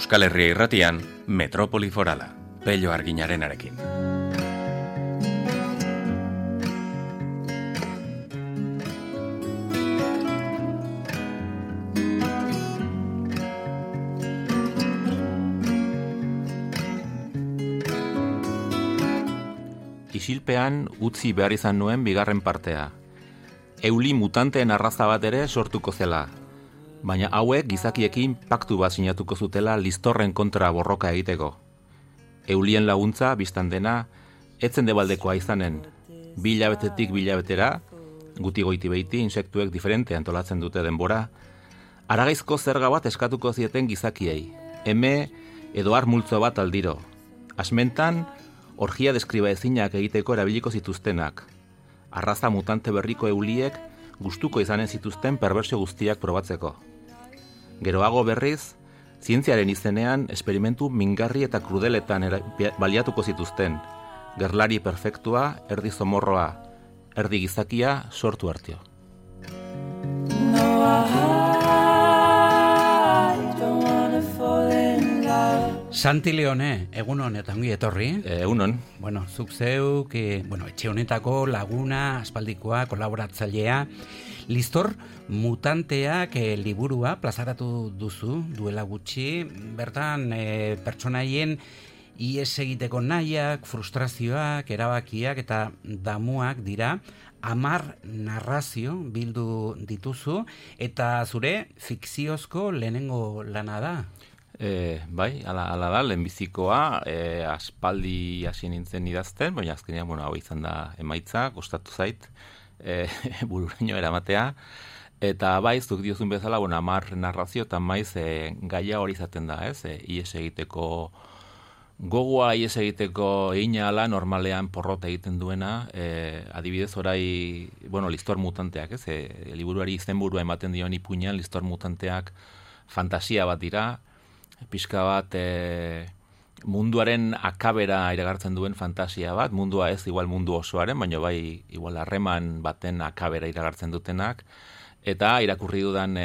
Euskal Herria Irratian, Metropoli Forala, Pello Arginarenarekin. Isilpean utzi behar izan nuen bigarren partea. Euli mutanteen arraza bat ere sortuko zela, baina hauek gizakiekin paktu bat sinatuko zutela listorren kontra borroka egiteko. Eulien laguntza, biztan dena, etzen debaldekoa izanen, bilabetetik bilabetera, guti goiti behiti insektuek diferente antolatzen dute denbora, haragaizko zerga bat eskatuko zieten gizakiei, eme edo har multzo bat aldiro. Asmentan, orgia deskriba ezinak egiteko erabiliko zituztenak. Arraza mutante berriko euliek gustuko izanen zituzten perbersio guztiak probatzeko. Geroago berriz, zientziaren izenean esperimentu mingarri eta krudeletan baliatuko zituzten. Gerlari perfektua, erdi zomorroa, erdi gizakia sortu artio. Santi Leone, egunon eta ongi etorri. Egunon. Bueno, zuk zeuk, etxe honetako laguna, aspaldikoa, kolaboratzailea, Listor mutanteak liburua plazaratu duzu duela gutxi, bertan pertsonaien ihes egiteko nahiak, frustrazioak, erabakiak eta damuak dira, 10 narrazio bildu dituzu, eta zure fikziozko lehenengo lana da. Bai, ala da, lehenbizikoa, aspaldi hasi nintzen idazten, baina azkenean, hau izan da emaitza, kostatu zait, bururaino eramatea, eta bai, zuk diozun bezala, 10 narrazio, eta maiz gaia hori izaten da, ihes egiteko gogoa, ihes egiteko egina ala, normalean porrota egiten duena, adibidez orai, listor mutanteak, liburuari izenburua ematen dion ipuinean, listor mutanteak fantasia bat dira, pixka bat munduaren akabera iragartzen duen fantasia bat, mundua ez igual mundu osoaren, baina bai igual harreman baten akabera iragartzen dutenak, eta irakurri dudan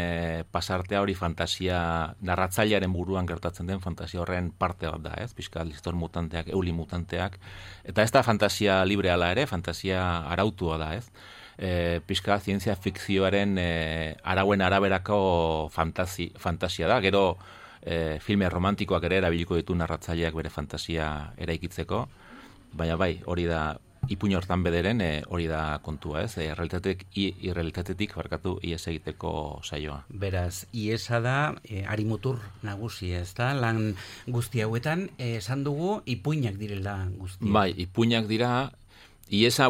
pasartea hori fantasia, narratzailearen buruan gertatzen den fantasia horren parte bat da, pixka listor mutanteak, euli mutanteak, eta ez da fantasia libreala ere, fantasia arautua da, pixka zientzia fikzioaren arauen araberako fantasia da, gero filme romantikoak ere erabiliko ditu narratzaileak bere fantasia eraikitzeko, baina bai, hori da, ipuin hortan bederen, hori da kontua, irrealitatetik ihes egiteko saioa. Beraz, ihesa da, harimutur nagusi, ez da, lan guzti hauetan, esan dugu, ipuinak direla guzti. Bai, ipuinak dira, ihesa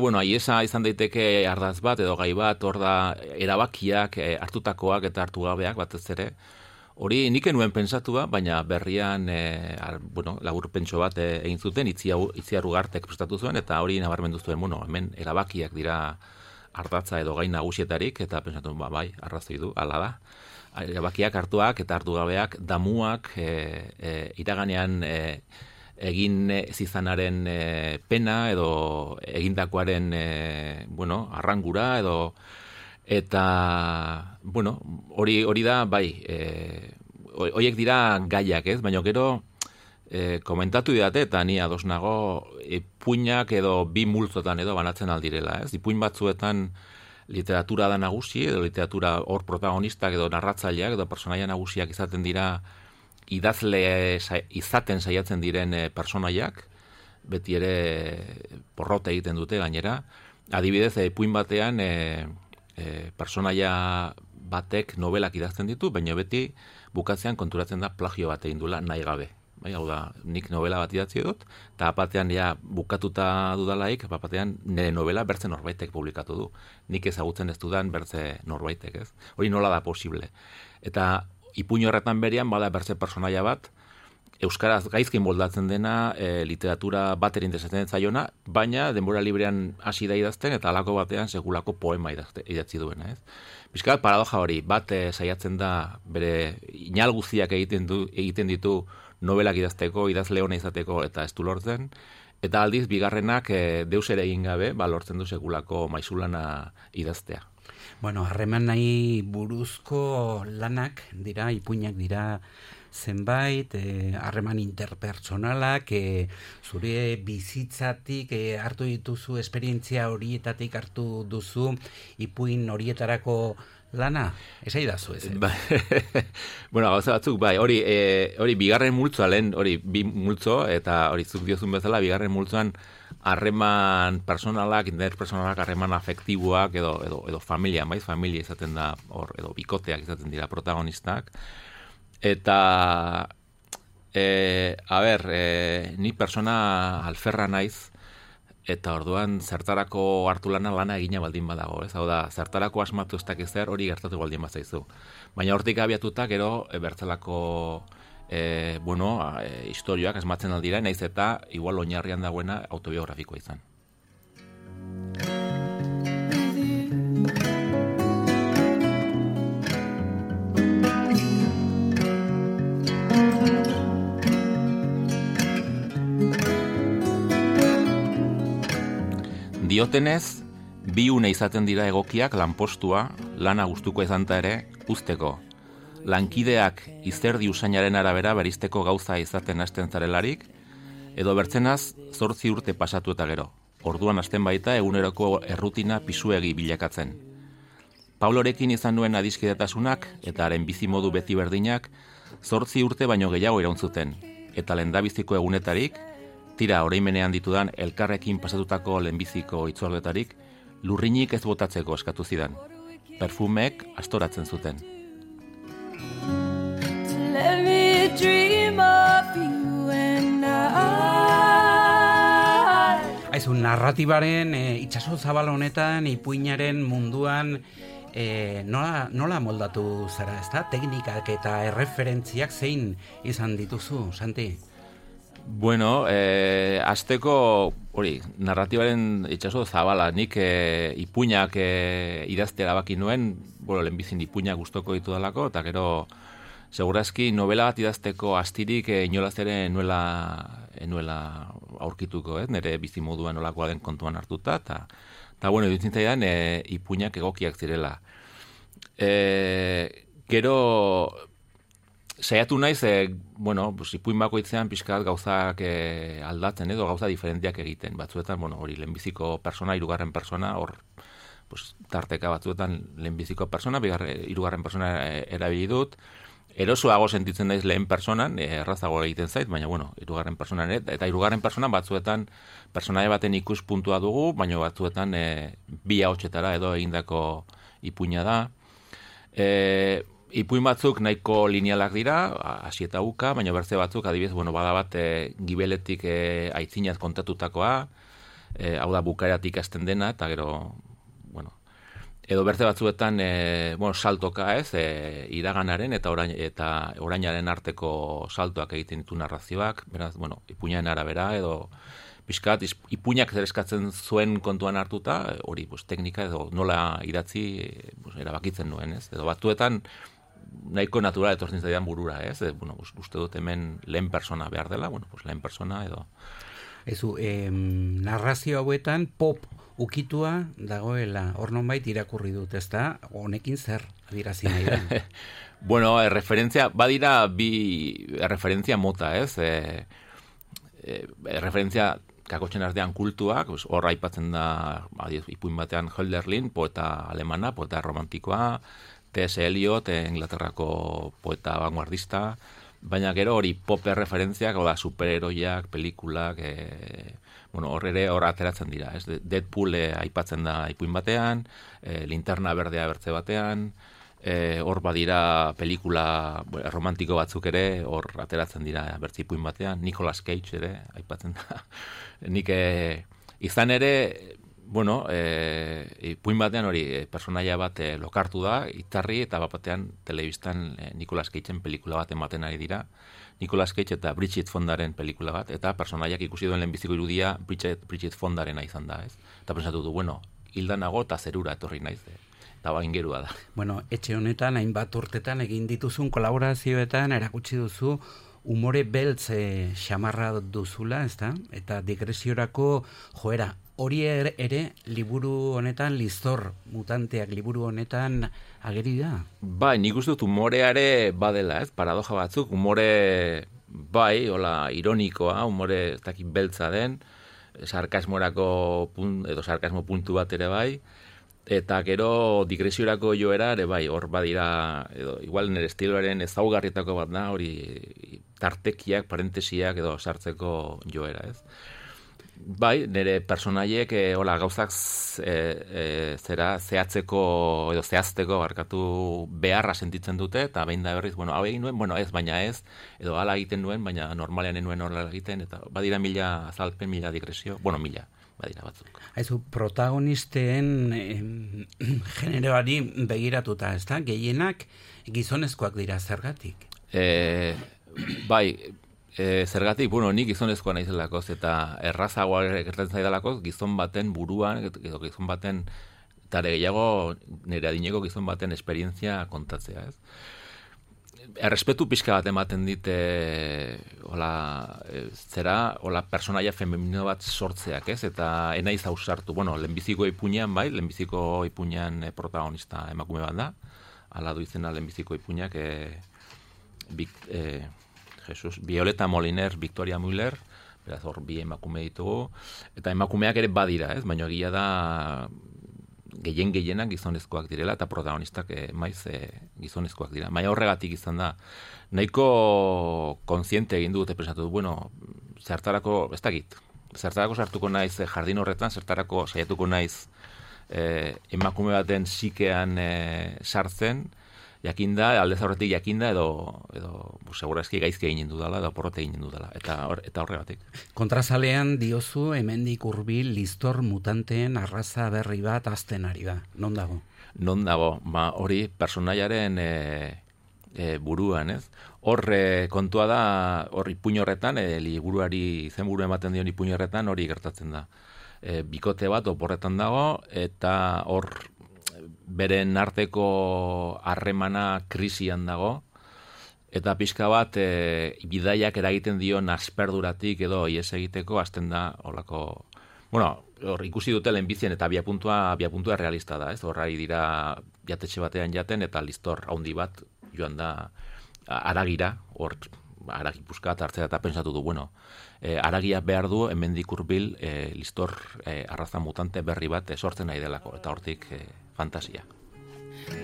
izan daiteke ardaz bat, edo gai bat, hor da, erabakiak, hartutakoak eta hartu gabeak, batez ere. Hori nik enuen pensatua, baina berrian laburpentxo bat egin zuten, Itziar Ugartek prestatu zuen, eta hori nabarmendu zuen, hemen erabakiak dira ardatza edo gai nagusietarik, eta pensatu, bai, arrazoi du, hala da. Erabakiak hartuak eta hartu gabeak, damuak, iraganean egin zizanaren pena, edo egindakoaren arrangura, edo eta, hori da, bai, horiek dira gaiak, baina gero komentatu didate, eta ni ados nago, ipuinak edo bi multzotan edo banatzen aldirela, ipuin batzuetan literatura da nagusi, edo literatura hor protagonistak edo narratzaileak edo personaia nagusiak izaten dira idazle izaten saiatzen diren personaiak, beti ere porrota egiten dute gainera, adibidez, ipuin batean personaia batek novelak idazten ditu, baina beti bukatzean konturatzen da plagio bat egin duela nahi gabe. Bai, hau da, nik novela bat idatzi dut, eta apatean bukatuta dudalaik, apatean nire novela bertze norbaitek publikatu du. Nik ezagutzen ez dudan bertze norbaitek, ez? Hori nola da posible. Eta ipuin horretan berian, bada bertze personaia bat, euskaraz gaizkin moldatzen dena, literatura bater interesatzen zaiona, baina denbora librean hasi da idazten, eta halako batean sekulako poema idatzi duena, ez? Piskat paradoja hori, bat saiatzen da bere inal guztiak egiten ditu novelak idazteko, idazle ona izateko eta ez du lortzen, eta aldiz bigarrenak deus ere egin gabe, lortzen du sekulako maizulana idaztea. Harreman nahi buruzko lanak dira, ipuinak dira, zenbait harreman interpersonalak, zure bizitzatik hartu dituzu, esperientzia horietatik hartu duzu, ipuin horietarako lana, esaidazu ez? Bueno, gauza batzuk, bai, hori bigarren multzoa lehen, hori bi multzo, eta hori zuk diozun bezala, bigarren multzoan harreman personalak, interpersonalak, harreman afektiboak, edo familia, maiz, familia izaten da, edo bikoteak izaten dira protagonistak. Eta, ni persona alferra naiz, eta orduan zertarako hartu lana egina baldin badago, ez? Hau da, zertarako asmatu ez dakiz zer, hori gertatu baldin bazaizu. Baina hortik abiatuta gero bertzelako historioak asmatzen aldira, naiz eta igual oinarrian dagoena autobiografikoa izan. Diotenez, bi une izaten dira egokiak lanpostua, lana gustuko izanta ere, uzteko. Lankideak izerdi usainaren arabera berizteko gauza izaten hasten zarelarik, edo bertzenaz 8 urte pasatu eta gero. Orduan hasten baita eguneroko errutina pisuegi bilakatzen. Paulorekin izan nuen adiskidetasunak eta haren bizimodu beti berdinak 8 urte baino gehiago irauntzuten, eta lehendabiziko egunetarik, tira oroimenean ditudan elkarrekin pasatutako lehenbiziko itzordetarik, lurrinik ez botatzeko eskatu zidan. Perfumeek astoratzen zuten. Aizu, narratibaren itsaso zabal honetan, ipuinaren munduan nola moldatu zara, ezta? Teknikak eta erreferentziak zein izan dituzu, Santi? Bueno, azteko, narratibaren itsaso zabala, nik ipuinak idazte erabaki nuen, lehenbizin ipuinak gustoko ditu dalako, eta gero, segurazki novela bat idazteko astirik inolaz ere nuela aurkituko, nire bizimoduan nolakoa den kontuan hartuta, eta iruditzen zaidan ipuinak egokiak zirela. Gero, saiatu naiz, ipuin bakoitzean pixkat gauzak aldatzen edo gauza diferenteak egiten. Batzuetan, hori lehenbiziko persona, hirugarren persona, hor tarteka batzuetan lehenbiziko persona, hirugarren persona erabili dut. Erosoago sentitzen naiz lehen personan, errazago egiten zait, baina hirugarren personan eta hirugarren personan batzuetan personaia baten ikuspuntua dugu, baina batzuetan bi ahotsetara edo egindako ipuina da. Ipuin batzuk nahiko linealak dira, hasi eta buka, baina bertze batzuk, adibidez, bada bat gibeletik aitzinaz kontatutakoa, hau da bukaeratik hasten dena, eta gero, edo bertze batzuetan, saltoka ez, iraganaren eta orainaren arteko saltoak egiten ditu narrazioak, beraz, ipuinaren arabera, edo pixkat, ipuinak zer eskatzen zuen kontuan hartuta, hori, teknika edo nola idatzi erabakitzen nuen, ez? Edo batzuetan, nahiko natural etortzen zaidan burura, ez? Uste dut hemen lehen persona behar dela, lehen persona edo... Ezu, narrazio hauetan pop ukitua dagoela, hor nonbait irakurri dut, ezta? Honekin zer adirazi nahi da? Referentzia, badira bi referentzia mota, ez? Referentzia kakotxen artean kultuak, hor aipatzen da, ipuin batean Hölderlin, poeta alemana, poeta romantikoa, T.S. Eliot, Inglaterrako poeta vanguardista, baina gero hori pop referentziak, superheroiak, pelikulak, hor ateratzen dira. Deadpool aipatzen da ipuin batean, Linterna Berdea bertze batean, hor badira pelikula romantiko batzuk ere, hor ateratzen dira bertze ipuin batean, Nicolas Cage ere aipatzen da. Nik izan ere, ipuin batean hori personaia bat lokartu da, itarri eta batean telebistan Nicolas Cageen pelikula bat ematen ari dira. Nicolas Cage eta Bridget Fondaren pelikula bat, eta personaiak ikusi duen lehenbiziko irudia Bridget Fondarena izan da, ez? Eta pensatu du, hildanago eta zerura etorri naiz, eta baingerua da. Etxe honetan, hainbat urtetan egin dituzun kolaborazioetan erakutsi duzu umore beltz xamarra duzula, ezta? Eta digresiorako joera Hori ere liburu honetan, Liztor mutanteak liburu honetan ageri da? Bai, nik uste dut humoreare badela, ez? Paradoja batzuk, humore bai, hola, ironikoa, humore ez dakit beltza den, sarkasmorako edo sarkasmo puntu bat ere bai, eta gero digresiorako joera ere bai, hor badira, edo igual nire estiloaren ezaugarrietako bat da, hori tartekiak, parentesiak edo sartzeko joera, ez? Bai, nire personaiek hola gauzak zehatzeko edo zehazteko barkatu beharra sentitzen dute, eta behin da berriz, hau egin nuen, ez, baina ez, edo hala egiten nuen, baina normalean nuen horrela egiten, eta badira mila azalpen, mila digresio, mila, badira batzuk. Haizu, protagonisten generoari begiratuta, ez da? Gehienak gizonezkoak dira zergatik? Bai, zergatik, nik gizonezkoa naizelakoz, eta errazagoa gertatzen zaidalakoz, gizon baten buruan, edo gizon baten, eta gehiago nire adineko gizon baten esperientzia kontatzea, ez? Errespetu pixka bat ematen dit, hola personaia femenino bat sortzeak, ez? Eta enaiz ausartu, lehenbiziko ipuinean, bai, lehenbiziko ipuinean protagonista emakume bat da, ala du izena lehenbiziko ipuinak, Violeta Moliner, Victoria Müller, beraz hor bi emakume ditugu, eta emakumeak ere badira, ez? Baina egia da gehienak gizonezkoak direla, eta protagonistak maiz gizonezkoak dira. Baina horregatik izan da, nahiko kontziente egin dute pensatu du, zertarako, ez dakit, zertarako sartuko naiz jardin horretan, zertarako saiatuko naiz emakume baten sikean sartzen, jakinda, aldez aurretik jakinda, edo segurazki gaizki egin dudala, edo porrote egin dudala, eta horregatik. Kontrazalean diozu, hemendik hurbil Liztor mutanteen arraza berri bat azten ari da. Non dago? Non dago, hori personaiaren buruan, ez? Hor kontua da, hor ipuin horretan, liburuari izenburu ematen dion ipuin horretan, hori gertatzen da. Bikote bat oporretan dago, eta hor beren arteko harremana krisian dago, eta pixka bat bidaiak eragiten dion asperduratik edo ies egiteko hasten da holako, hor ikusi dute lehenbizien eta abiapuntua realista da, ez? Horrai dira jatetxe batean jaten eta Liztor haundi bat joan da haragira, hor haragi puskat hartzea eta pensatu du, haragia behar du hemendik hurbil Liztor arraza mutante berri bat sortzen nahi delako, eta hortik fantasia.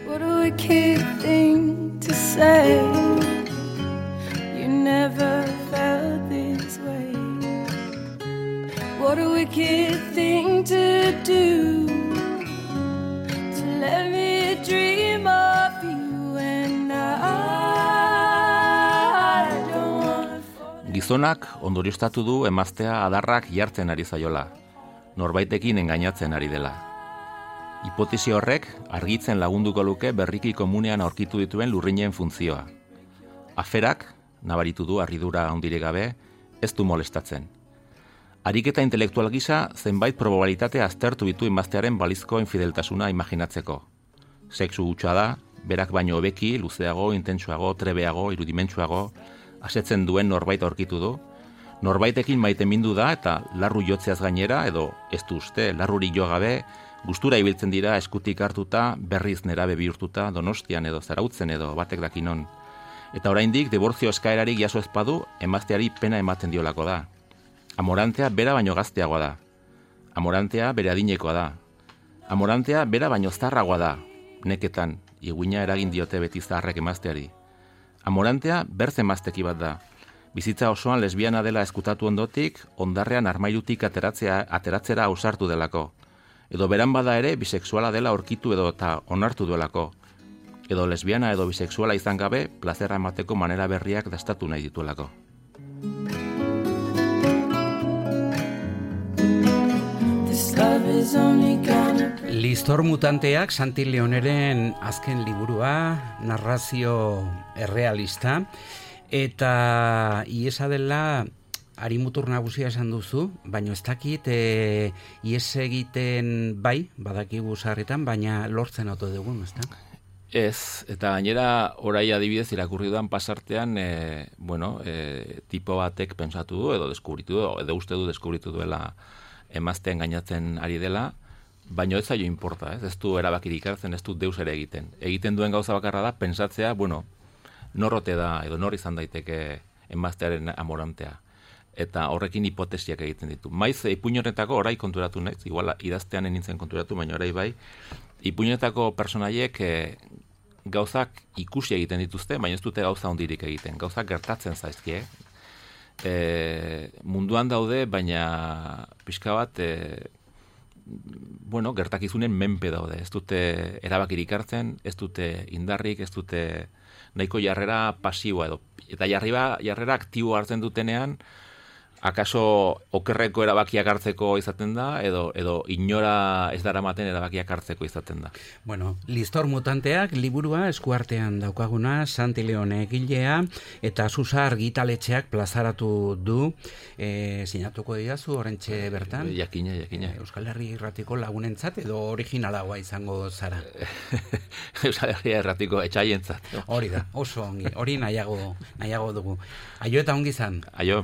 What a wicked thing to say. You never felt this way. What a wicked thing to do. To let me dream of you and I don't wanna fall. Gizonak ondorioztatu du emaztea adarrak jartzen ari zaiola, norbaitekin engainatzen ari dela. Hipotesi horrek argitzen lagunduko luke berriki komunean aurkitu dituen lurrinen funtzioa. Aferak, nabaritu du harridura handirik gabe, ez du molestatzen. Ariketa intelektual gisa zenbait probabilitate aztertu ditu emaztearen balizko infideltasuna imaginatzeko. Sexu hutsa da, berak baino hobeki, luzeago, intentsuago, trebeago, irudimentsuago, asetzen duen norbait aurkitu du. Norbaitekin maitemindu da eta larru jotzeaz gainera, edo ez du uste, larrurik jo gabe, gustura ibiltzen dira eskutik hartuta, berriz nerabe bihurtuta, Donostian edo Zarautzen edo batek dakinon. Eta oraindik dibortzio eskaerarik jaso ezpadu, emazteari pena ematen diolako da. Amorantea bera baino gazteagoa da. Amorantea bere adinekoa da. Amorantea bera baino zarragoa da. Neketan, iguina eragin diote beti zaharrek emazteari. Amorantea berz emazteki bat da. Bizitza osoan lesbiana dela eskutatu ondotik, ondarrean armairutik ateratzera ausartu delako. Edo beran bada ere bisexuala dela aurkitu edo eta onartu duelako. Edo lesbiana edo bisexuala izan gabe, plazera emateko manera berriak dastatu nahi dituelako. Liztor mutanteak Santi Leoneren azken liburua, narrazio errealista, eta iesa dela harimutur nagusia esan duzu, baina ez dakit ies egiten bai, badakigu sarritan, baina lortzen oto dugun, ez da? Ez, eta gainera orai adibidez irakurri duan pasartean, tipo batek pensatu du, edo deskubritu du, edo uste du deskubritu duela emaztean gainatzen ari dela, baina ez zaio inporta, ez du erabakirik hartzen, ez du deus ere egiten. Egiten duen gauza bakarra da, pensatzea, bueno, norrote da, edo nor izan daiteke emaztearen amorantea. Eta horrekin hipotesiak egiten ditu. Maiz, ipuin honetako orai konturatu naiz, igual idaztean nintzen konturatu, baina orai bai, ipuin honetako personaiek gauzak ikusi egiten dituzte, baina ez dute gauza hondirik egiten. Gauzak gertatzen zaizkie. Munduan daude, baina pixka bat, bueno, gertakizunen menpe daude. Ez dute erabakirik hartzen, ez dute indarrik, ez dute nahiko jarrera pasiboa edo. Eta jarrera aktibo hartzen dutenean, akaso okerreko erabakiak hartzeko izaten da, edo inora ez daramaten erabakiak hartzeko izaten da. Bueno, Listor mutanteak liburua eskuartean daukaguna, Santi Leone egilea, eta Susa argitaletxeak plazaratu du, sinatuko didazu orentxe bertan? Jakina. Euskal Herri Irratiko lagunentzat edo originalagoa izango zara? Euskal Herri Irratiko etxaientzat. Hori da, oso ongi, hori nahiago dugu. Aio eta ongi zan. Aio.